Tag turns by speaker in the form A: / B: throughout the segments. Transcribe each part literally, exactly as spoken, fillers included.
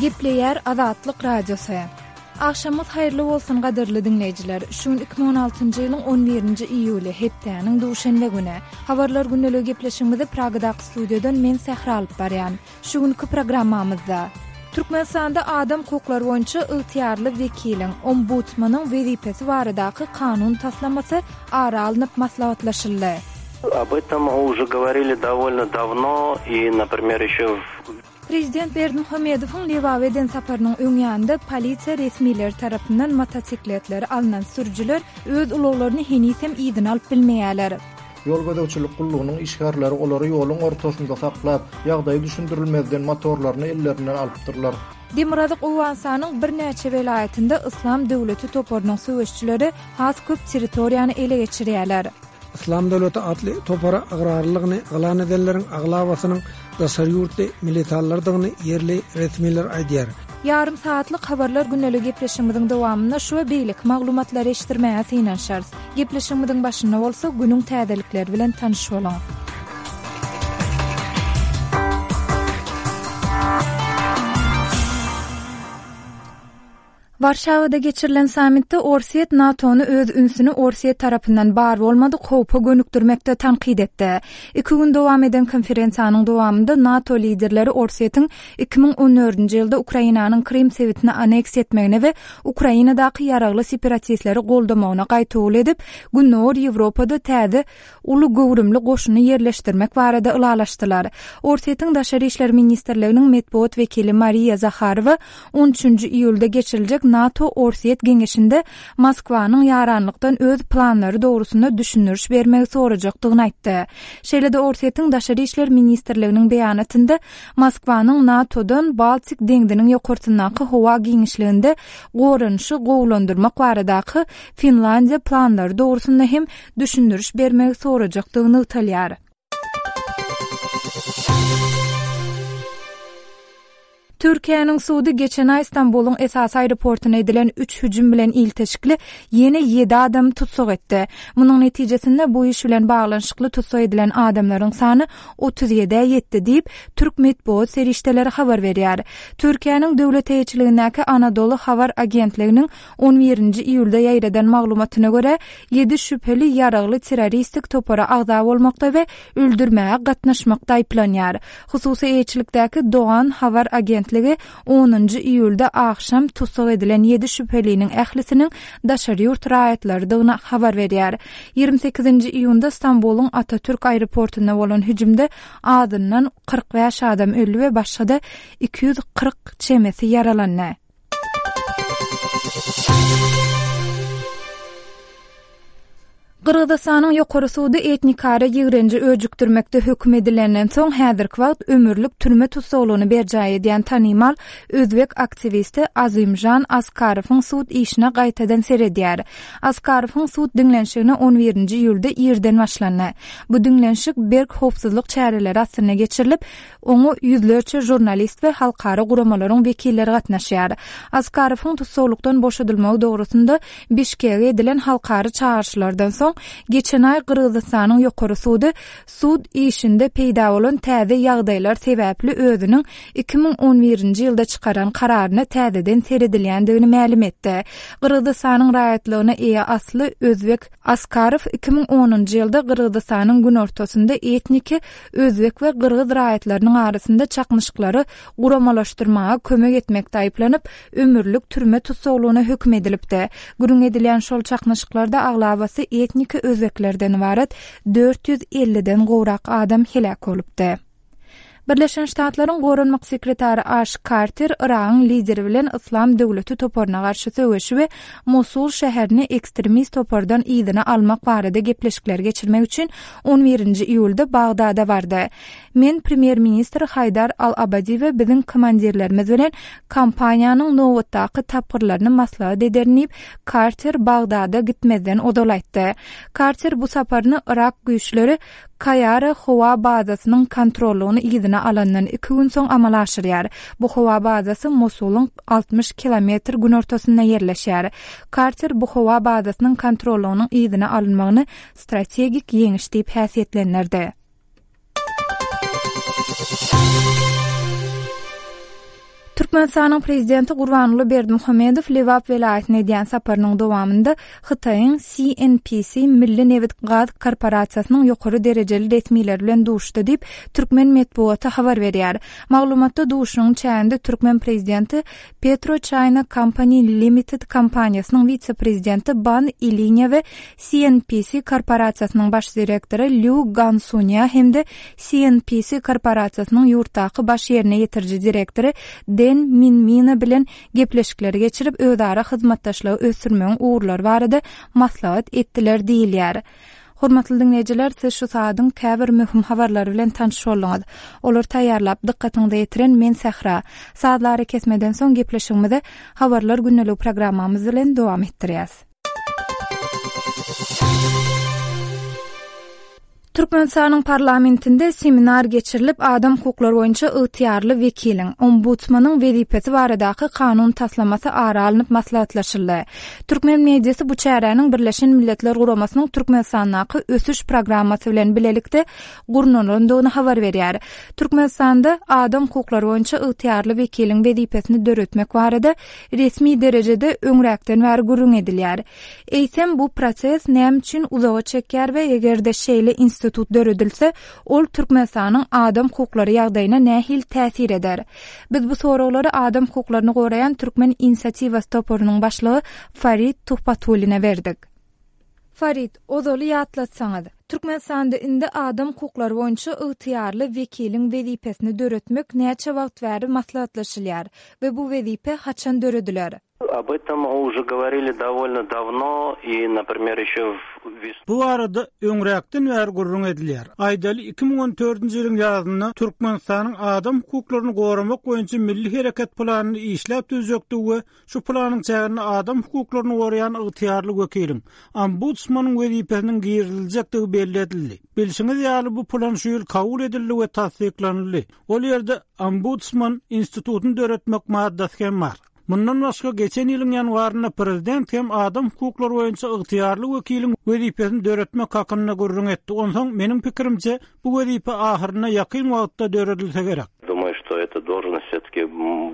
A: Gepleýär Azatlyk Radiosy. Agşamyňyz haýyrly bolsun gadyrly diňleýjiler. Şu gün iki müň on altynjy ýylyň on birinji iýuly, hepdäniň duşenbe güni. Habarlar gündeligi gepleşigimizi Pragadaky studiýadan men Sähra alyp barýan. Şu günki programmamyzda Türkmenistanda adam hukuklary boýunça ygtyýarly wekiliň, ombudsmanyň wezipesi baradaky kanun taslamasy ara alnyp maslahatlaşyldy.
B: Об этом уже говорили довольно давно и, например, еще в
A: Prezident Berdimuhamedowyň Lebaba eden saparynyň öň ýanynda polisiýa resmileri tarapyndan motosikletleri alnan sürüjiler öz ulaglaryny heniz hem yzyna alyp bilmeýärler.
C: Ýol gözegçilik gullugynyň işgärleri olary ýoluň ortasynda saklap, ýagdaýy düşündirilmezden motorlaryny ellerinden alypdyrlar.
A: Demirgazyk Owganystanyň birnäçe welaýatynda Yslam döwleti toparynyň söweşçileri has köp territoriýany ele geçirýärler.
D: Yslam döwleti atly topara agrarlygyny yglan edenleriň aglabasynyň daşary ýurtly militarlardygyny ýerli resmiler aýdýar.
A: Ýarym saatlyk habarlar gündelik gepleşigimiziň dowamynda şu we beýleki maglumatlary eşitdirmäge synanyşarys. Gepleşigimiziň başynda bolsa günüň täzelikleri bilen tanyş boluň. Warşawada geçirilen sammitde Orsýet NATO-ny öz ünsüni Orsýet tarapyndan bar bolmadyk howpa gönükdirmekde tankyt etdi. Iki gün dowam eden konferensiýanyň dowamynda NATO liderleri Orsýetiň iki müň on dördünji ýylda Ukrainanyň Krym sebitini aneksiýa etmegine we Ukrainadaky ýaragly separatistleri goldamagyna gaýtawul edip, Gündogar Ýewropada täze uly göwrümli goşuny ýerleşdirmek barada ylalaşdylar. Orsýetiň Daşary işler ministrliginiň metbugat wekili Mariýa Zaharowa on üçünji iýulda geçiriljek NATO Orsýet geňeşinde Moskwanyň ýaranlykdan öz planlary dogrusynda düşündiriş bermegi sorajakdygyny aýtdy. Şeýle-de Orsýetiň Daşary işler ministrliginiň beýanatynda Moskwanyň NATO-dan Baltik deňziniň ýokarsyndaky howa giňişliginde goranyşy gowulandyrmak baradaky Finlandiýa planlary dogrusynda hem düşündiriş bermegi sorajakdygy nygtalýar. Türkiýäniň sudy geçen aý Stambulyň esasy aeroportuna edilen üç hüjüm bilen ilteşikli ýene ýedi adamy tussag etdi. Munuň netijesinde bu iş bilen baglanyşykly tussag edilen adamlaryň sany otuz ýedä ýetdi diýip, türk metbugat serişdeleri habar berýär. Türkiýäniň döwlet eýeçiligindäki Anadolu Habar Agentliginiň on birinji iýulda ýaýradan maglumatyna görä, ýedi şübheli ýaragly terroristik topara agza bolmakda we öldürmäge gatnaşmakda aýyplanýar. Hususy eýeçilikdäki Doğan Habar Agentligi onunjy iýulda agşam tussag edilen ýedi şübheliniň ählisiniň daşary ýurt raýatlarydygyny habar berýär. Ýigrimi sekizinji iýunda Stambulyň Atatürk aeroportunda bolan hüjümde azyndan kyrk bäş adam öldi we başga-da iki ýüz kyrk çemesi ýaralandy. Gyrgyzystanyň ýokary sudy etnikara ýigrenji öjükdirmekde höküm edilenden soň häzirki wagt ömürlik türme tussaglygyny berjaý edýän tanymal özbek aktiwisti Azimjan Askarowyň sud işine gaýtadan seredýär. Askarowyň sud diňlenişigine on birinji iýulda irden başlandy. Bu diňlenişik berk howpsuzlyk çäreleri astynda geçirilip, oňa ýüzlerçe žurnalist we halkara guramalaryň wekilleri gatnaşýar. Askarowyň tussaglykdan boşadylmagy dogrusynda Bişkege edilen halkara çağrışlardan soň geçen aý Gyrgyzystanyň ýokary sudy sud işinde peýda bolan täze ýagdaýlar sebäpli özüniň iki müň on birinji ýylda çykaran kararyna täzeden seredilýändigini mälim etdi. Gyrgyzystanyň raýatlygyna eýe asly özbek Askarow iki müň onunjy ýylda Gyrgyzystanyň günortasynda etniki özbek we gyrgyz raýatlarynyň arasynda çaknyşyklary guramalaşdyrmaga kömek etmekde aýyplanyp, ömürlik türme tussaglygyna höküm edilipdi. Gürrüň edilýän şol çaknyşyklarda aglabasy etniki özbeklerden ybarat dört ýüz elliden gowrak adam heläk bolupdy. Birleşen Ştatlaryň goranmak sekretary Aş Karter Iragyň lideri bilen Yslam döwleti toparyna garşy söweşi we Mosul şäherini ekstremist topardan yzyna almak barada gepleşikler geçirmek üçin on birinji iýulda Bagdada bardy. Men premýer-ministr Haýdar Al-Abadi we biziň komandirlerimiz bilen kampaniýanyň nobatdaky tapgyrlaryny maslahat ederin diýip, Karter Bagdada gitmezden ozal aýtdy. Karter bu saparyny Irak güýçleri Kaýara howa bazasynyň kontrollugyny yzyna alandan iki gün soň amala aşyrýar. Bu howa bazasy Mosulyň altmyş kilometr günortasynda ýerleşýär. Karter bu howa bazasynyň kontrollugynyň yzyna alynmagyny strategik ýeňiş diýip häsiýetlendirdi. Türkmenistanyň Prezidenti Gurbanguly Berdimuhamedow Lebap welaýatyna edýän saparynyň dowamynda Hytaýyň C N P C Milli nebit-gaz korporasiýasynyň ýokary derejeli resmileri bilen duşdy diýip, türkmen metbugaty habar berýär. Maglumatda duşuşygyň çäginde türkmen prezidenti PetroChina Company Limited kompaniýasynyň wise-prezidenti Ban Ilinýa we C N P C korporasiýasynyň baş direktory Lýu Gansunýa hem-de C N P C korporasiýasynyň ýurtdaky baş ýerine ýetiriji direktory Den Minmina bilen gepleşikleri geçirip, özara hyzmatdaşlygy ösdürmegiň ugurlary barada maslahat etdiler diýilýär. Hormatly diňleýjiler, siz şu saadyň käbir möhüm habarlary bilen tanyş bolduňyz. Olary taýýarlap, dykgatyňyza ýetiren men Sähra. Sazlary kesmeden soň gepleşigimizi Habarlar gündelik programmamyz bilen dowam etdirýäs. Türkmenistanyň parlamentinde seminar geçirilip, adam hukuklary boýunça ygtyýarly wekiliň, ombudsmanyň wezipesi baradaky kanun taslamasy ara alnyp maslahatlaşyldy. Türkmen mediasy bu çäräniň Birleşen Milletler Guramasynyň Türkmenistandaky ösüş programmasy bilen bilelikde gurnalandygyny habar berýär. Türkmenistanda adam hukuklary boýunça ygtyýarly wekiliň wezipesini döretmek barada resmi derejede öňräkden bäri gürrüň edilýär. Eýsem bu proses näme üçin uzaga çekýär we eger-de şeýle institut döredilse, ol Türkmenistanyň adam hukuklary ýagdaýyna nähili täsir eder? Biz bu soraglary adam hukuklaryny goraýan Türkmen inisiatiwasy toparynyň başlygy Farid Tuhbatullina berdik. Farid, ozaly ýatlatsaňyz, Türkmenistanda indi adam hukuklary boýunça ygtyýarly wekiliň wezipesini döretmek näçe wagt bäri maslahatlaşylýar we bu wezipe haçan dörediler?
B: Об этом уже говорили довольно давно и, например, еще в весну.
E: Bu barada öňräkden bäri gürrüň edilýär. Aýdaly iki müň on dördünji ýylyň ýazynda Türkmenistanyň adam hukuklaryny goramak boýunça milli hereket planyny işläp düzjekdi we şu planyň çäginde adam hukuklaryny goraýan ygtyýarly wekiliň, ombudsmanyň wezipesiniň giriziljekdigi belli edildi. Bilşiňiz ýaly, bu plan şu ýyl kabul edildi we tassyklanyldy. Ol ýerde ombudsman institutyny döretmek maddasy hem bar. Mundan başga geçen ýylyň ýanwarynda prezident hem adam hukuklary boýunça ygtyýarly wekiliň wezipesini döretmek hakynda gürrüň etdi. Onsoň meniň pikirimçe, bu wezipe ahyryna ýakyn wagtda döredilse gerek.
B: Думаю, что эта должность все-таки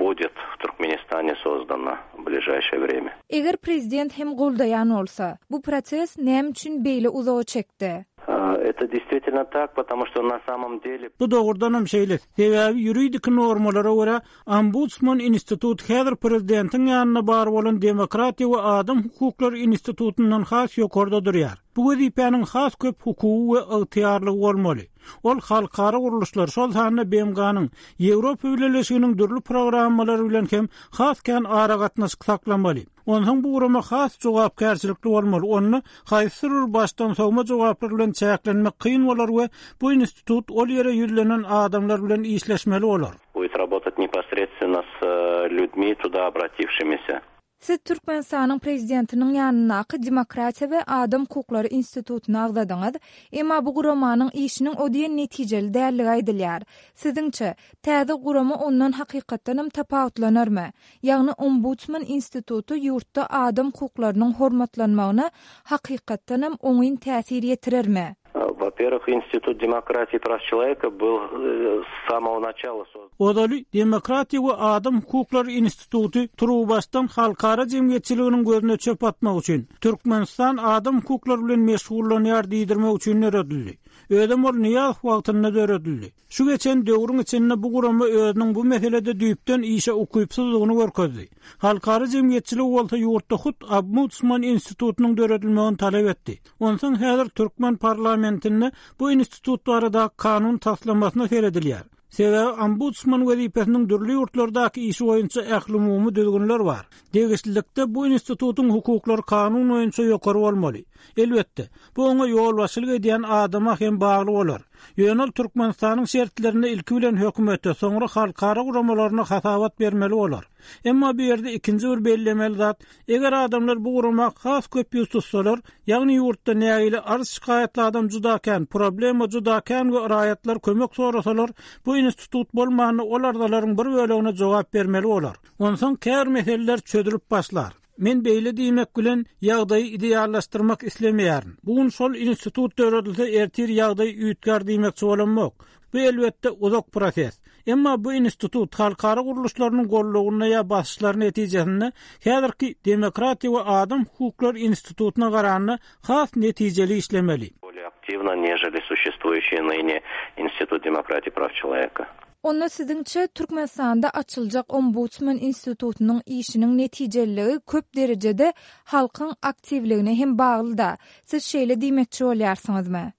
B: будет в Туркменистане создана в ближайшее время.
A: Eger prezident hem goldaýan bolsa, bu proses näme üçin beýle uzaga çekdi?
B: А, Это действительно так, потому что на самом деле
E: Bu dogrudan hem şeýle. Sebäbi ýuridik normalara görä ombudsman institut häzir prezidentiň ýanynda bar bolan Demokratiýa we adam hukuklary institutyndan has ýokarda durýar. Bu wezipäniň has köp hukugy we ygtyýarlygy bolmaly. Ol halkara gurluşlar, şol sanda B M G-nyň, Ýewropa Bileleşiginiň dürli programmalary bilen hem has kän aragatnaşyk saklamaly. Onsoň bu gurama has jogapkärçilikli bolmaly. Ony haýsy bir başdan sowma jogaplar bilen çäklenmek kyn bolar we bu institut ol ýere ýüzlenen adamlar bilen işleşmeli bolar.
B: Будет работать непосредственно с э, людьми, туда обратившимися.
A: Siz Türkmenistanyň prezidentiniň ýanyndaky Demokratiýa we adam hukuklary institutyny agzadyňyz, emma bu guramanyň işiniň o diýen netijeli dälligi aýdylýar. Siziňçe, täze gurama ondan hakykatdanam tapawutlanarmy? Ýagny ombudsman instituty ýurtda adam hukuklarynyň hormatlanmagyna hakykatdanam oňyn täsir ýetirermi?
B: А, Во-первых, Институт демократии и прав человека был э, с самого начала создан.
E: Ozaly Demokratiýa we adam hukuklary instituty turuwbaşdan halkara jemgyýetçiliginiň gözüne çöp atmak üçin, Türkmenistan adam hukuklary bilen meşgullanýar diýdirmek üçin döredildi. Özem ol Nyýazow wagtynda döredildi. Şu geçen döwrüň içinde bu gurama özüniň bu meselede düýpden işe ukypsyzlygyny görkezdi. Halkara jemgyýetçiligi bolsa ýurtda hut ombudsman institutynyň döredilmegini talap etdi. Onsoň häzir türkmen parlamentinde bu institut barada kanun taslamasyna seredilýär. Sebäbi ombudsman wezipesiniň dürli ýurtlardaky işi boýunça ählumumy düzgünler bar. Degişlilikde bu institutyň hukuklary kanun boýunça ýokary bolmaly. Elbetde, bu oňa ýolbaşçylyk edýän adama hem bagly bolar. Ýöne ol Türkmenistanyň şertlerinde ilki bilen hökümete, soňra halkara guramalaryna hasabat bermeli bolar. Emma bu ýerde ikinji bir bellemeli zat, eger adamlar bu gurama has köp ýüz tutsalar, ýagny ýurtda nägile arz şikaýatly adam juda kän, problema juda kän we raýatlar kömek sorasalar, bu institut bolmany ol arzalaryň bir bölegine jogap bermeli bolar. Onsoň käbir meseleler çözülip başlar. Men beýle diýmek bilen ýagdaýy ideallaşdyrmak islemeýärin. Bu gün şol institut döredilse ertir ýagdaý üýtgär diýmekçi bolamok. Bu elbetde uzak proses. Emma bu institut halkara gurluşlarynyň gollugynda ýa basyşlar netijesinde häzirki Demokratiýa we adam hukuklary institutyna garanda has netijeli işlemeli.
B: Более активно, нежели существующий ныне Институт демократии и прав человека.
A: Onda siziňçe Türkmenistanda açyljak Ombudsman institutynyň işiniň netijeliligi köp derejede halkyň aktiwligine hem bagly-da. Siz şeýle diýmekçi bolýarsyňyzmy?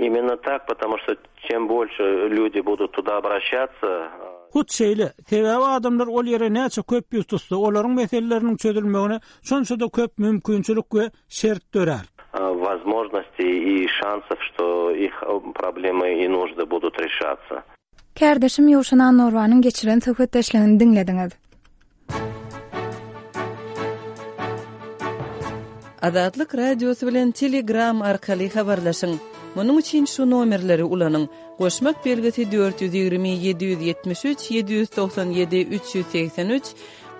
B: Именно так, потому что чем больше люди будут туда обращаться,
E: Hut şeýle, sebäbi adamlar ol ýere näçe köp ýüz tutsa, olaryň meseleleriniň çözülmegine şonça-da köp mümkinçilik we şert dörär.
B: Возможностей и шансов, что их проблемы и нужды будут решаться.
A: Kärdeşim Ýowşan Annorwanyň geçiren söhbetdeşligini diňlediňiz.
F: Azatlyk Radiosy bilen Telegram arkaly habarlaşyň. Munuň üçin şu nomerleri ulanyň. Goşmak belgisi dört ýüz ýigrimi ýedi ýüz ýetmiş üç ýedi ýüz togsan ýedi üç ýüz segsen üç,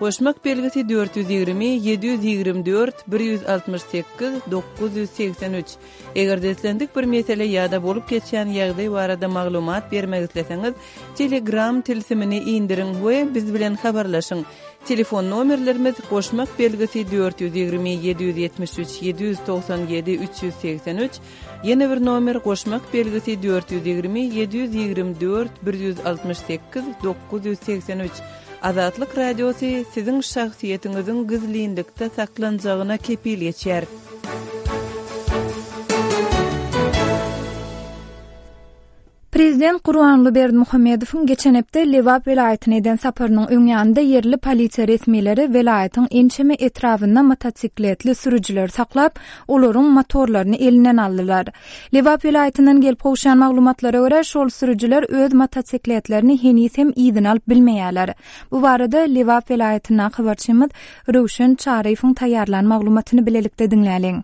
F: goşmak belgisi dört ýüz ýigrimi ýedi ýüz ýigrimi dört bir ýüz altmyş sekiz dokuz ýüz segsen üç. Eger islendik bir mesele ýa-da bolup geçýän ýagdaý barada maglumat bermek isleseňiz, Telegram tilsimini indiriň we biz bilen habarlaşyň. Telefon nomerlerimiz goşmak belgisi dört ýüz ýigrimi ýedi ýüz ýetmiş üç ýedi ýüz togsan ýedi üç ýüz segsen üç, ýene bir nomer goşmak belgisi dört ýüz ýigrimi ýedi ýüz ýigrimi dört bir ýüz altmyş sekiz dokuz ýüz segsen üç. Azatlyk Radiosy siziň şahsyýetiňiziň gizlinlikde saklanjagyna kepil geçer.
A: Prezident Gurbanguly Berdimuhamedowyň geçen hepde Lebap welaýatyna eden saparynyň öň ýanynda ýerli polisiýa resmileri welaýatyň ençeme etrabynda motosikletli sürüjileri saklap, olaryň motorlaryny elinden aldylar. Lebap welaýatyndan gelip gowşan maglumatlara görä, şol sürüjiler öz motosikletlerini heniz hem yzyna alyp bilmeýärler. Bu barada Lebap welaýatyndan habarçymyz Röwşen Çaryýewiň taýýarlan maglumatyny bilelikde diňläliň.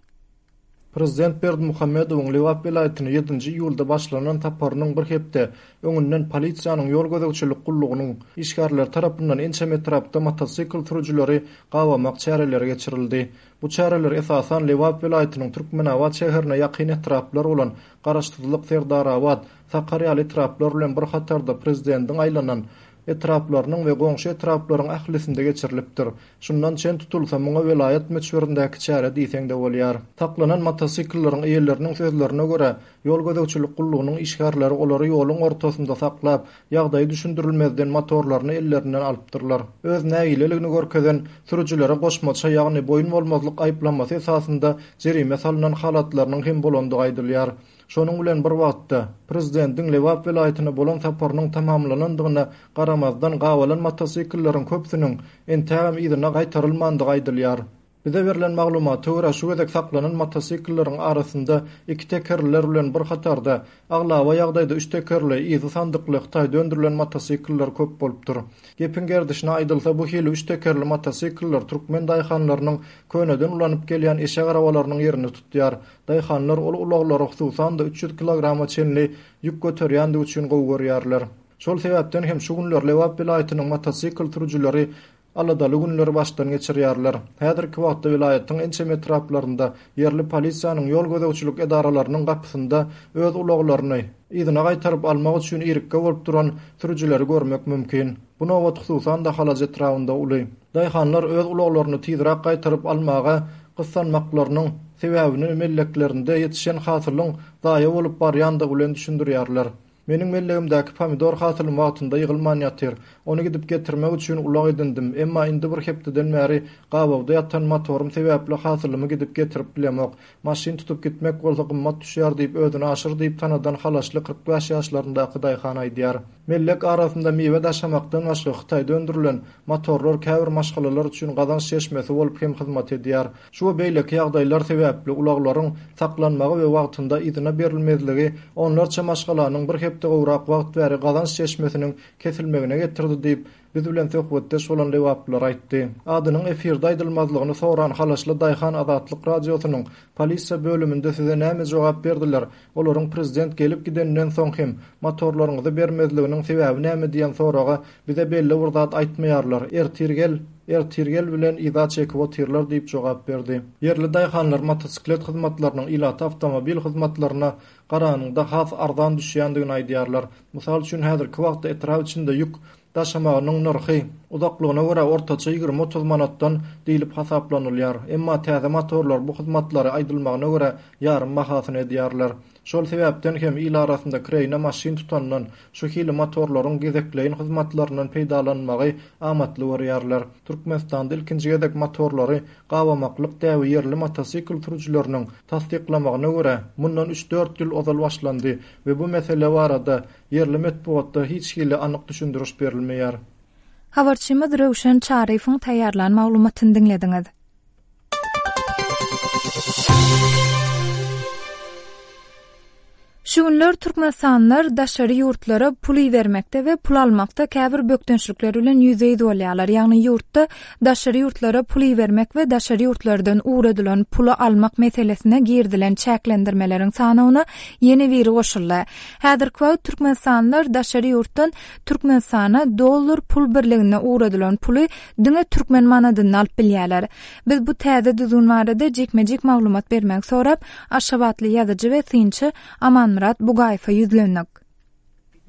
C: Prezident Berdimuhamedowyň Lebap welaýatyna ýedinji iýulda başlanan saparynyň bir hepde öňünden polisiýanyň ýol gözegçilik gullugynyň işgärleri tarapyndan ençeme etrapda motosikl sürüjileri gabamak çäreleri geçirildi. Bu çäreler esasan Lebap welaýatynyň Türkmenabat şäherine ýakyn etraplar bolan Garaşsyzlyk, Serdarabat, Sakarýaly etraplar bilen bir hatarda prezidentiň aýlanan etraplarynyň we goňşy etraplaryň ählisinde geçirilipdir. Şundan çen tutulsa muňa welaýat möçberindäki çäre diýseň-de bolýar. Saklanan motosiklleriň eýeleriniň sözlerine görä, ýol gözegçilik gullugynyň işgärleri olary ýoluň ortasynda saklap, ýagdaýy düşündirilmezden motorlaryny ellerinden alypdyrlar. Öz nägileligini görkezen sürüjilere goşmaça, ýagny boýun bolmazlyk aýyplamasy esasynda jerime salynan halatlarynyň hem bolandygy aýdylýar. Şonuň bilen bir wagtda prezidentiň Lebap welaýatyna bolan saparynyň tamamlanandygyna garamazdan gabalan motosiklleriň köpüsiniň entägem yzyna gaýtarylmandygy aýdylýar. Bize berlen maglumata görä şu gezek saklanan motosiklleriň arasynda iki tekerliler bilen bir hatarda aglaba ýagdaýda üç tekerli, yzy sandykly Hytaýda öndürilen motosikller köp bolupdyr. Gepiň gerdişine aýdylsa bu hili üç tekerli motosikller türkmen daýhanlarynyň köneden ulanyp gelýän eşek arabalarynyň ýerini tutýar. Daýhanlar ol ulaglary hususan-da üç ýüz kilograma çenli ýük göterýändigi üçin gowy görýärler. Şol sebäpden hem şu günler Lebap welaýatynyň motosikl sürüjileri aladaly günleri başdan geçirýärler. Häzirki wagtda welaýatyň ençeme etraplarynda ýerli polisiýanyň ýol gözegçilik edaralarynyň gapysynda öz ulaglaryny yzyna gaýtaryp almak üçin irikge bolup duran sürüjileri görmek mümkin. Bu nobat hususan-da Halaç etrabynda uly. Daýhanlar öz ulaglaryny tizräk gaýtaryp almaga gyssanmaklarynyň sebäbini melleklerinde ýetişen hasylyň zaýa bolup barýandygy bilen düşündirýärler. Meniň mellegimdäki pomidor hasylym wagtynda ýygylman ýatyr. Ony gidip getirmek üçin ulag edindim. Emma indi bir hepdeden bäri gabawda ýatan motorym sebäpli hasylymy gidip getirip bilemok. Maşyn tutup gitmek bolsa gymmat düşýär diýip özüni aşyr diýip tanadan halaşly kyrk bäş ýaşlaryndaky daýhan aýdýar. Mellek arasynda miwe daşamakdan başga Hytaýda öndürilen motorlar käbir maşgalalar üçin gazanç çeşmesi bolup hem hyzmat edýär. Şu we beýleki ýagdaýlar sebäpli ulaglaryň saklanmagy we wagtynda yzyna berilmezligi onlarça maşgalanyň bir hepde gowrak wagt bäri gazanç çeşmesiniň kesilmegine getirdi diýip biz bilen söhbetdeş bolan lebaplylar aýtdy. Adynyň efirde aýdylmazlygyny soran Halaşly daýhan Azatlyk Radiosynyň polisiýa bölüminde size näme jogap berdiler? Olaryň prezident gelip gidenden soň hem motorlaryňyzy bermezliginiň sebäbi näme diýen soraga bize belli bir zat aýtmaýarlar. Ertir gel, ertir gel bilen yza çekip otyrlar diýip jogap berdi. Ýerli daýhanlar motosiklet hyzmatlarynyň ilata awtomobil hyzmatlaryna garanyňda has arzan düşýändigini aýdýarlar. Mysal üçin häzirki wagtda etrap içinde ýük daşamagynyň nyrhy uzaklygyna görä ortaça ýigrimi otuz manatdan diýlip hasaplanylýar. Emma täze motorlar bu hyzmatlary aýdylmagyna görä ýarym bahasyny edýärler. Şol sebäpden hem il arasynda kireýne maşyn tutandan şu hili motorlaryň gezekleýin hyzmatlaryndan peýdalanmagy amatly görýärler. Türkmenistanda ilkinji gezek motorlary gabamaklyk däbi ýerli motosikl sürüjileriniň tassyklamagyna görä mundan üç dört ýyl ozal başlandy we bu mesele barada ýerli metbugatda hiç hili anyk düşündiriş berilmeýär.
A: Habarçymyz Röwşen Çaryýewiň taýýarlan maglumatyny diňlediňiz. Şu günler Türkmenistanlylar daşary ýurtlara pul ibermekde we pul almakda käbir bökdençlikler bilen ýüzbe-ýüz bolýarlar. Ýagny ýurtda daşary ýurtlara pul ibermek we daşary ýurtlardan ugradylan puly almak meselesine girdilen çäklendirmeleriň sanawyna ýene biri goşuldy. Häzirki wagt Türkmenistanlylar daşary ýurtdan Türkmenistana dollar pul birligine ugradylan puly diňe türkmen manadynda alyp bilýärler. Biz bu täze düzgün barada jikme-jik maglumat bermegi sorap, Aşgabatly ýazyjy we synçy Amanmyrat Bugaýewe ýüzlendik.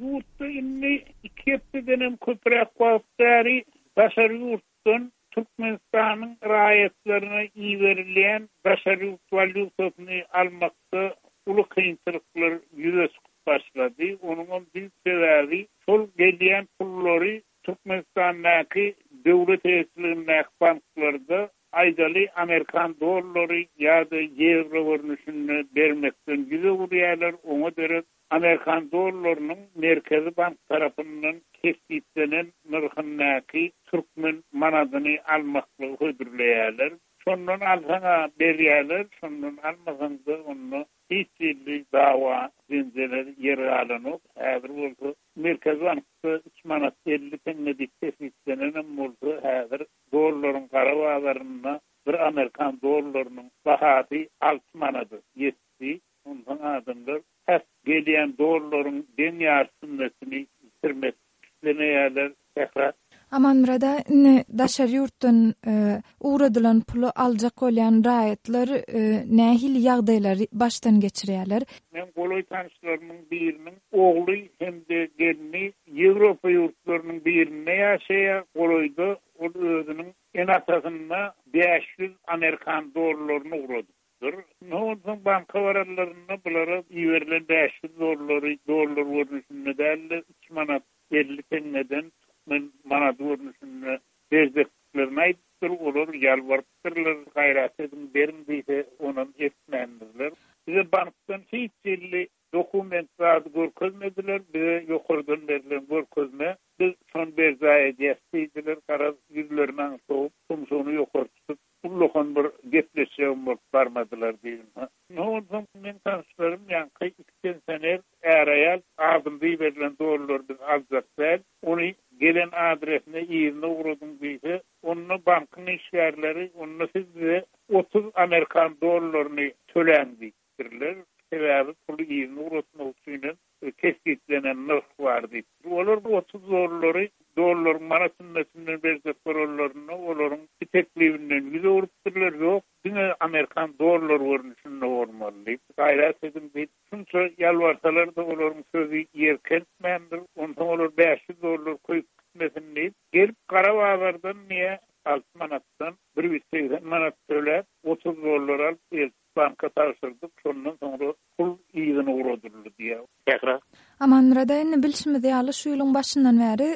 G: Ýurtda indi iki hepdeden köpräk wagt bäri daşary ýurtdan Türkmenistanyň raýatlaryna iberilýän daşary ýurt walýutasyny almakda uly kynçylyklar ýüze çykyp başlady. Onuň bir sebäbi şol gelýän pullary Türkmenistandaky döwlet eýeçiligindäki banklarda aýdaly Amerikan dollary ýa-da ýewro görnüşinde bermekden ýüz öwürýärler. Oňa derek Amerikan dollarynyň Merkezi Bank tarapyndan kesgitlenen nyrhyndaky türkmen manadyny almaklygy hödürleýärler. Şondan alsaňa berýärler, şondan almasaň da onda hiç hili dawa jenjeler ýer galanok. Häzir bolsa Merkezi Bankda üç manat elli teňňe diýip kesgitlenenem bolsa, häzir dollaryň gara bazarynda bir Amerikan dollarynyň bahasy alty manada ýetdi. Ondan adamlar has gelýän dollaryň deň ýarsyny ýitirmek islemeýärler. Sähra.
A: Amanmyrada, indi daşary ýurtdan, e, ugradylan puly aljak bolýan raýatlar, e, nähili ýagdaýlary başdan geçirýärler?
G: Men golaý tanyşlarymyň biriniň ogly hem-de gelni Ýewropa ýurtlarynyň birinde ýaşaýar. Golaýda ol özüniň ene-atasynda bäş ýüz Amerikan dollaryny ugradypdyr. Ne onsoň banka baranlarynda bulara iberilen bäş ýüz dollary dollar görnüşinde däl-de üç manat elli teňňeden türkmen manady görnüşinde berjeklerini aýdypdyr. Olar ýalbarypdyrlar, gaýrat ediň, beriň diýse, onam etmändirler. Bize bankdan hiç hili dokument zady görkezmediler. Bize ýokardan berlen görkezme, biz şony berjaý edýäs diýdiler. Garaz ýüzlerini soğup, tumşugyny ýokary tutup, ullakan bir gepleşjegim bolup barmadylar diýdim. Ne onsoň men tanyşlarym ýaňky iki pensioner är-aýal adynda berilen dollar biz aljak däl. Ony gelen adresine ýerine ugradyň diýse, onda bankyň işgärleri, onda siz bize otuz Amerikan dollaryny töläň diýipdirler. Sebäbi puly ýerine ugratmak üçin kesgitlenen nyrh bar diýip. Olar bu otuz dollary dollaryň manat hümmetünden berjek bolanlarynda olaryň bir teklibinden ýüz öwrüpdirler. Ýok, diňe Amerikan dollar görnüşinde bolmaly diýip, gaýrat ediň diýip, şunça ýalbarsalar da olaryň sözi ýer kentmändir. Onsoň olar bäş ýüz dollar köýüp gitmesin diýip, gelip gara bazardan niýe alty manatdan bir ýüz segsen manat töläp, otuz dollar alyp eltip banka tabşyrdyk. Şondan soňra pul ýygyny ugradyldy diýýär. Sähra.
A: Amanmyrada, indi bilşimiz ýaly şu ýylyň başyndan bäri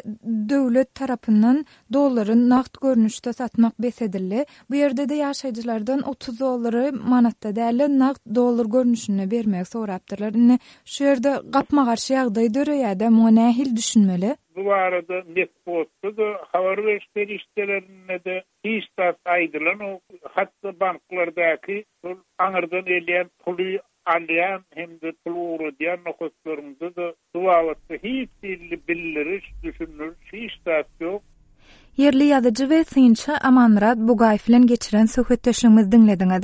A: döwlet tarapyndan dollary nagt görnüşde satmak bes edildi. Bu ýerde-de ýaşaýjylardan otuz dollary manatda däl-de nagt dollar görnüşinde bermegi sorapdyrlar. Indi şu ýerde gapma-garşy ýagdaý döreýär-de, muňa nähili düşünmeli?
G: Bu barada metbugatda da habar beriş serişdelerinde de hiç zat aýdylanok. Hatda banklardaky şol aňyrdan gelýän puly alýan hem-de pul ugradýan nokatlarynda da bu babatda hiç hili bildiriş, düşündiriş hiç zat ýok.
A: Ýerli ýazyjy we synçy Amanmyrat Bugaýew bilen geçiren söhbetdeşligimizi diňlediňiz.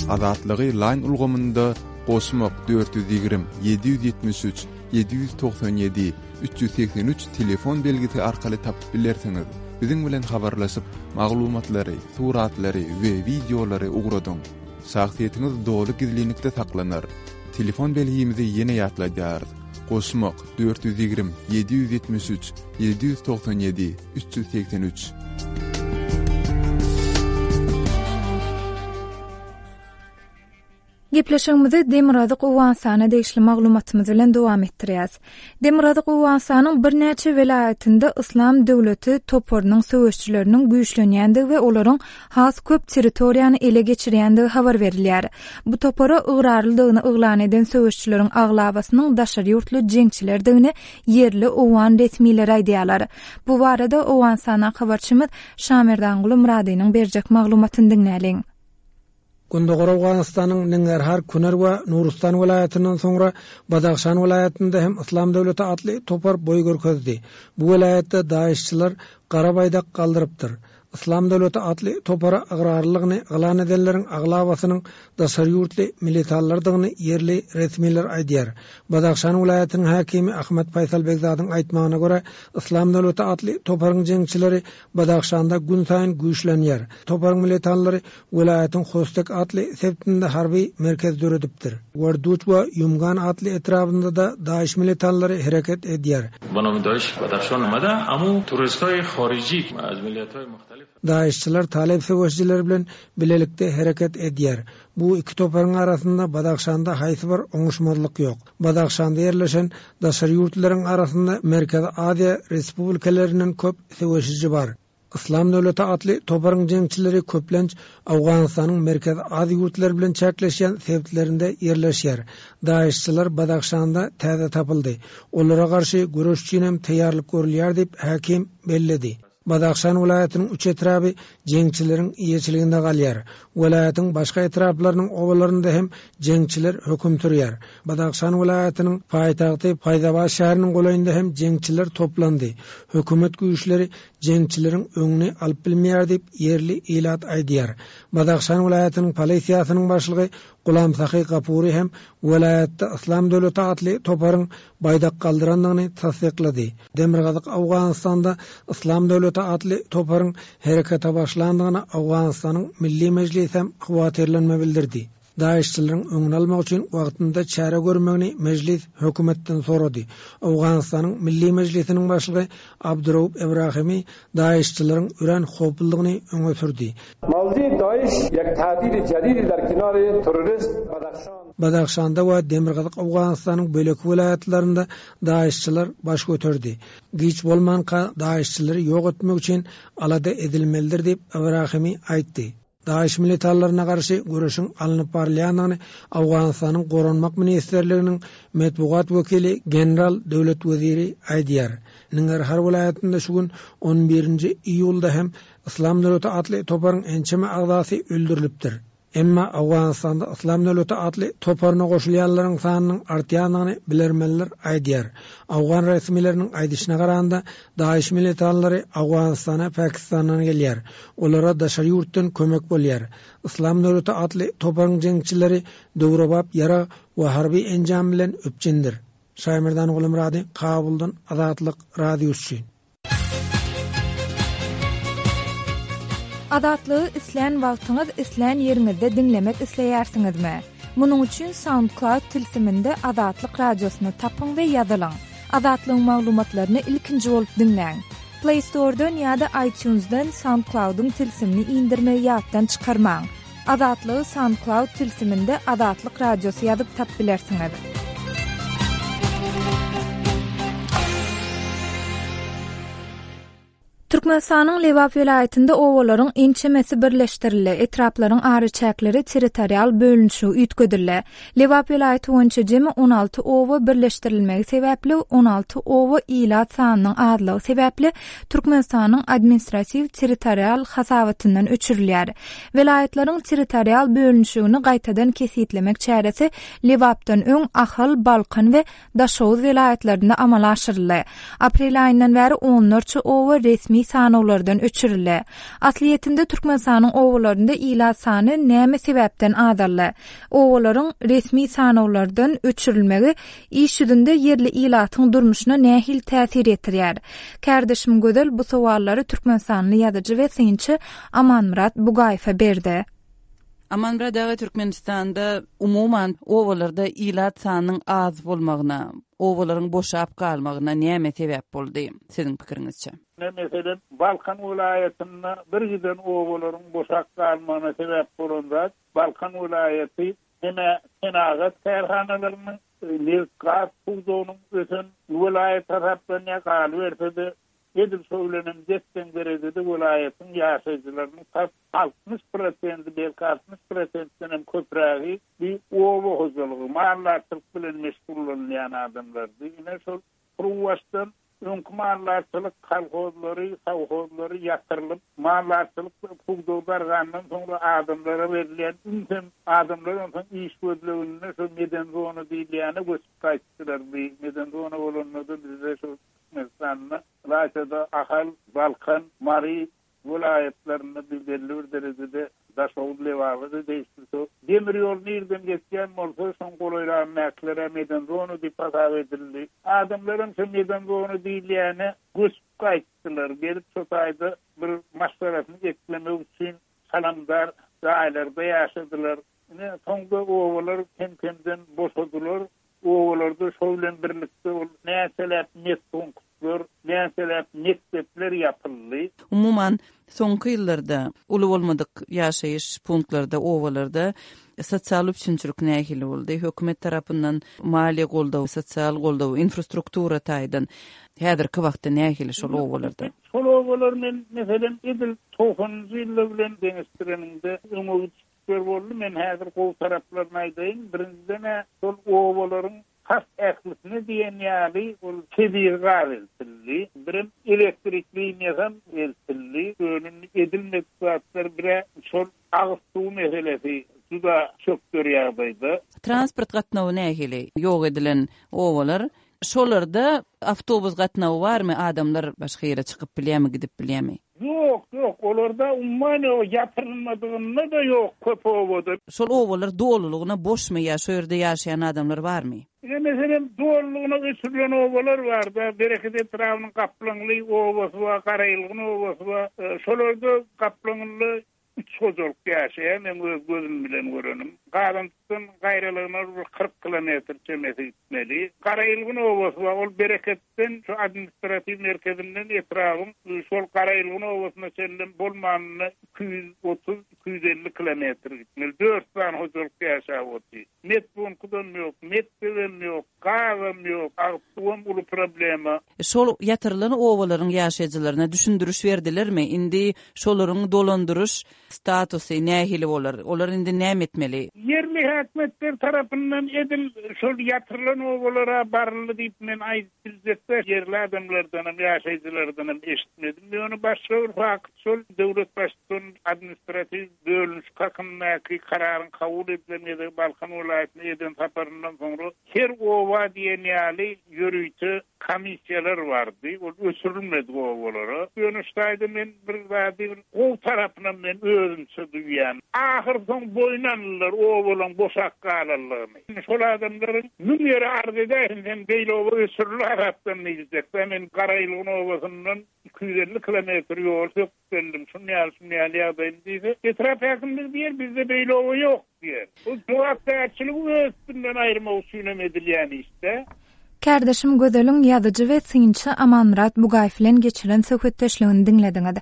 H: Azatlygy Line ulgamynda goşmak dört ýüz ýigrimi, ýedi ýüz ýetmiş üç, ýedi ýüz togsan ýedi, üç ýüz segsen üç telefon belgisi arkaly tapyp bilersiňiz. Biziň bilen habarlaşyp, maglumatlary, suratlary we wideolary ugradyň. Şahsyýetiňiz doly gizlinlikde saklanar. Telefon belgimizi ýene ýatladýarys. Goşmak, dört ýüz ýigrimi, ýedi ýüz ýetmiş üç, ýedi ýüz togsan ýedi, üç ýüz segsen üç.
A: Gepleşigimizi Demirgazyk Owganystana degişli maglumatymyz bilen dowam etdirýäris. Demirgazyk Owganystanyň birnäçe welaýatynda Yslam döwleti toparynyň söweşçileriniň güýçlenýändigi we olaryň has köp territoriýany ele geçirýändigi habar berilýär. Bu topara ygrarlydygyny yglan eden söweşçileriň aglabasynyň daşary ýurtly jeňçilerdigini ýerli owgan resmileri aýdýarlar. Bu barada Owganystana habarçymyz Şamerdanguly Myradynyň berjek maglumatyny diňläliň.
D: Gündogar Owganystanyň Nangarhar, Kunar we Nurustan welaýatyndan soňra Badahşan welaýatynda hem Yslam döwleti atly topar boý görkezdi. Bu welaýatda DAEŞçiler gara baýdak galdyrypdyr. Yslam döwleti atly topara ygrarlylygyny yglan edenleriň aglabasynyň daşary ýurtly militanlardygyny ýerli resmiler aýdýar. Badahşan welaýatynyň häkimi Ahmet Faýsal Begzadyň aýtmagyna görä, Yslam döwleti atly toparyň jeňçileri Badahşanda gün saýyn güýçlenýär. Toparyň militanlary welaýatyň Hostek atly sebitinde harby merkez döredipdir. Warduç we Ýumgan atly etrabynda da DAEŞ militanlary hereket edýär.
I: Banam DAEŞ Badahşan omada, amu turistay harici az milletay muhtelif
D: DAEŞçiler Talib söweşçileri bilen bilelikde hereket edýär. Bu iki toparyň arasynda Badahşanda haýsy bir oňuşmazlyk ýok. Badahşanda ýerleşen daşary ýurtlaryň arasynda Merkezi Aziýa respublikalarinden köp söweşiji bar. Yslam döwleti atly toparyň jeňçileri köplenç Owganystanyň Merkezi Aziýa ýurtlary bilen çäkleşýän sebitlerinde ýerleşýär. DAEŞçiler Badahşanda täze tapyldy. Olara garşy göreş üçin hem taýýarlyk görülýär diýip häkim belledi. Badahşan welaýatynyň üç etraby jeňçileriň eýeçiliginde galýar. Welaýatyň başga etraplarynyň obalarynda hem jeňçiler höküm sürýär. Badahşan welaýatynyň paýtagty Paýzabat şäheriniň golaýynda hem jeňçiler toplandy. Hökümet güýçleri jeňçileriň öňüni alyp bilmeýär diýip ýerli ilat aýdýar. Badahşan welaýatynyň polisiýasynyň başlygy Gulam Sahy Gapuri hem welaýatda Yslam döwleti atly toparyň baýdak galdyrandygyny tassyklady. Demirgazyk Owganystanda Yslam döwleti atly toparyň herekete başlandygyna Owganystanyň Milli Mejlisi hem howatyrlanma bildirdi. DAEŞçileriň öňüni almak üçin wagtynda çäre görmegini mejlis hökümetden sorady. Owganystanyň Milli Mejlisiniň başlygy Abdurrauf Ibrahimi DAEŞçileriň örän howpludygyny öňe sürdi.
J: Mavzi DAEŞ ýek tahdid jadid der kinare terrorist Badahşan.
D: Badahşanda we Demirgazyk Owganystanyň bölek welaýatlarynda DAEŞçiler baş göterdi. Giç bolmanka DAEŞçileri ýok etmek üçin alada edilmelidir diýip Ibrahimi aýtdy. DAEŞ militanlaryna garşy göreşiň alnyp barylýandygyny Owganystanyň Goranmak Ministrliginiň metbugat wekili General Döwlet Weziri aýdýar. Nangarhar welaýatynda şu gün on birinji iýulda hem Yslam döwleti atly toparyň ençeme agzasy öldürilipdir. Emma Owganystanda Yslam döwleti atly toparyna goşulýanlaryň sanynyň artýandygyny bilermenler aýdýar. Owgan resmileriniň aýdyşyna garanda DAEŞ militanlary Owganystana Pakistandan gelýär. Olara daşary ýurtdan kömek bolýar. Yslam döwleti atly toparyň jeňçileri döwrebap ýarag we harby enjam bilen üpjündir. Şaýmerdan Gulumyrady, Kabuldan Azatlyk Radiosy.
A: Azatlygy islän wagtyňyz, islän ýeriňizde diňlemek isleýärsiňizmi? Munuň üçin SoundCloud tilsiminde Azatlyk Radiosyny tapyň we ýazylyň. Azatlygyň maglumatlaryny ilkinji bolup diňläň. Play Store'dan ýa-da iTunes'dan SoundCloud'yň tilsimini indirmegi ýatdan çykarmaň. Azatlygy SoundCloud tilsiminde Azatlyk Radiosy ýazyp tap bilersiňiz. Türkmenistanyň Lebap welaýatynda obalaryň ençemesi birleşdirildi, etraplaryň araçäkleri territorial bölünişigi üýtgedildi. Lebap welaýaty boýunça jemi on alty oba birleşdirilmegi sebäpli on alty oba ilat sanynyň azlygy sebäpli Türkmenistanyň administratiw territorial hasabatyndan öçürilýär. Welaýatlaryň territorial bölünişigini gaýtadan kesgitlemek çäresi Lebapdan öň Ahal, Balkan we Daşoguz welaýatlarynda amala aşyryldy. Aprel aýyndan bäri onlarça oba resmi sanawlardan öçürildi. Aslyýetinde Türkmenistanyň obalarynda ilat sany näme sebäpden azaldy? Obalaryň resmi sanawlardan öçürilmegi iş ýüzünde ýerli ilatyň durmuşyna nähili täsir ýetirýär? Kärdeşim Gözel bu sowallary Türkmenistanly ýazyjy we synçy Amanmyrat Bugaýewe berdi.
F: Amanmyrat aga, Türkmenistanda umuman obalarda ilat sanynyň az bolmagyna, obalaryň boşap galmagyna näme sebäp boldy siziň pikiriňizçe?
G: Ne meselem, Balkan welaýatynda bir giden obalaryň boşap galmagyna sebäp bolan zat, Balkan welaýaty heme senagat kärhanalarynyň, neft gaz pudagynyň ösen welaýat hasaplanýar, galyberse-de edil şo bilenem desseň derejede welaýatyň ýaşaýjylarynyň tas altmyş prosenti, belki altmyş prosentden hem köprägi bir oba hojalygy, maldarçylyk bilen meşgullanýan adamlardy. Ine şol Pruwaşdan öňki maldarçylyk kolhozlary, sowhozlary ýatyrylyp, maldarçylyk pudagy dargandan soňra adamlara berilýän ünsem adamlar onsoň iş gözleginde şo meden zona diýilýäne göçüp gaýtdylar. Bir meden zona bolanda da bizde şo Türkmenistanda Ylaýtada Ahal, Balkan, Mary welaýatlarynda bir belli bir derejede Daşoguz, Lebaba-da degişli şo demir ýol nirden geçýän bolsa, şoň golaýlagyndakylara meden zona diýip hasap edildi. Adamlaram şo meden zona diýilýäne göçüp gaýtdylar. Gelip şo taýda bir maşgalasyny eklemek üçin salamdar jaýlarda ýaşadylar. Ine soňda obalar kem-kemden boşadylar. Obalarda şo bilen birlikde ol näçeläp metpunktlar, näçeläp mekdepler ýapyldy.
F: Umuman, soňky ýyllarda uly bolmadyk ýaşaýyş punktlarda, obalarda sosial üpjünçilik nähili boldy? Hökümet tarapyndan maliýe goldawy, sosial goldawy, infrastruktura taýdan häzirki wagtda nähili şol obalarda?
G: Şol obalar men meselem edil togsanynjy ýyllar bilen deňeşdirenimde öňe gidişler boldy. Men häzir gowy taraplaryny aýdaýyn. Birinjiden şol obalaryň tas ählisine diýen ýaly ol tebigy gaz eltildi. Birem elektrik liniýasam eltildi. Önüni edilmedik zatlar bire şol agyz suw meselesi juda çökder ýagdaýda.
F: Transport gatnawy nähili? Ýok edilen obalar, şolarda awtobus gatnawy barmy? Adamlar başga ýere çykyp bilýärmi, gidip bilýärmi?
G: Ýok, ýok, olarda umuman ýok, ýatyrylmadygynda da ýok köp obada.
F: Şol obalar dolulygyna boşmy ýa şo ýerde ýaşaýan adamlar barmy?
G: Ine meselem dolulygyna öçürilen obalar bar da, Bereket etrabynyň Gaplaňly obasy bar, Garaýylgyn obasy bar. E, şolarda Gaplaňly üç hojalyk ýaşaýar, men öz gözüm bilen görenim. Gazançdan gaýralygyna bir kyrk kilometr çemesi gitmeli. Garaýylgyn obasy bar, ol Bereketden şu administratiw merkezinden etrabyň şol Garaýylgyn obasyna çenli bolmanyna iki ýüz otuz, iki ýüz elli kilometr gitmeli. Dört sany hojalyk ýaşap otyr. Metpunktam ýok, mekdebem ýok, gazam ýok, agyz suwam uly problema.
F: Şol ýatyrylan obalaryň ýaşaýjylaryna düşündiriş berdilermi? Indi şolaryň dolandyryş statusy nähili bolar? Olar indi näme etmeli?
G: Ýerli häkimiýetler tarapyndan edil şol ýatyrylan obalara baryldy diýip men aýdyp biljekde ýerli adamlardan hem ýaşaýjylardan hem eşitmedim. Ýöne başga bir fakt şol döwlet baştutany administratiw bölünişik hakyndaky kararyň kabul edilen gezegi Balkan welaýatyna eden saparyndan soňra her oba diýen ýaly ýörite komissiýalar bardy. Ol öçürilmedi obalara. Ýöne şu taýda men bir zady bir gowy tarapyna men özümçe duýýan. Ahyr soň boýun aldylar obalaryň boşak galanlygyny. Şol adamlaryň müň ýere arz edäýsin, sen beýle oba öçürildi hasapdan diýjek. Men Garaýylgyn obasyndan iki ýüz elli kilometr ýol söküp geldim. Şun ýaly, şun ýaly ýagdaýym diýse, etrap häkimligi diýer, bizde beýle oba ýok diýer. Bu jogapkärçiligi öz üstünden aýyrmak üçin hem edilýän işde.
A: Kärdeşim Gözeliň ýazyjy we synçy Amanmyrat Bugaýew bilen geçiren söhbetdeşligini diňlediňiz.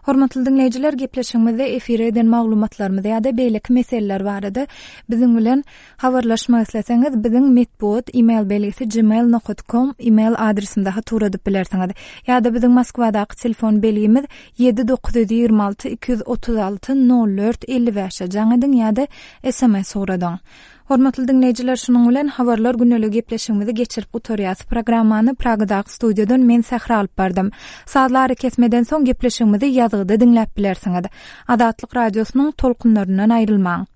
A: Hormatly diňleýjiler, gepleşigimizde efire eden maglumatlarymyz ýa-da beýleki meseleler barada biziň bilen habarlaşmak isleseňiz, biziň metbugat e-mail belgisi gmail nokat com e-mail adresimize hat ugradyp bilersiňiz. Ýa-da biziň Moskwadaky telefon belgimiz ýedi dokuz ýüz ýigrimi alty iki ýüz otuz alty nol dört elli bäşe jaň ediň ýa-da sms ugradyň. Hormatly diňleýjiler, şunuň bilen Habarlar gündeligi gepleşigimizi geçirip gutarýas. Programmany Pragadaky studiýadan men Sähra alyp bardym. Sazly arakesmeden soň gepleşigimizi ýazgyda diňläp bilersiňiz. Azatlyk Radiosynyň tolkunlaryndan aýrylmaň.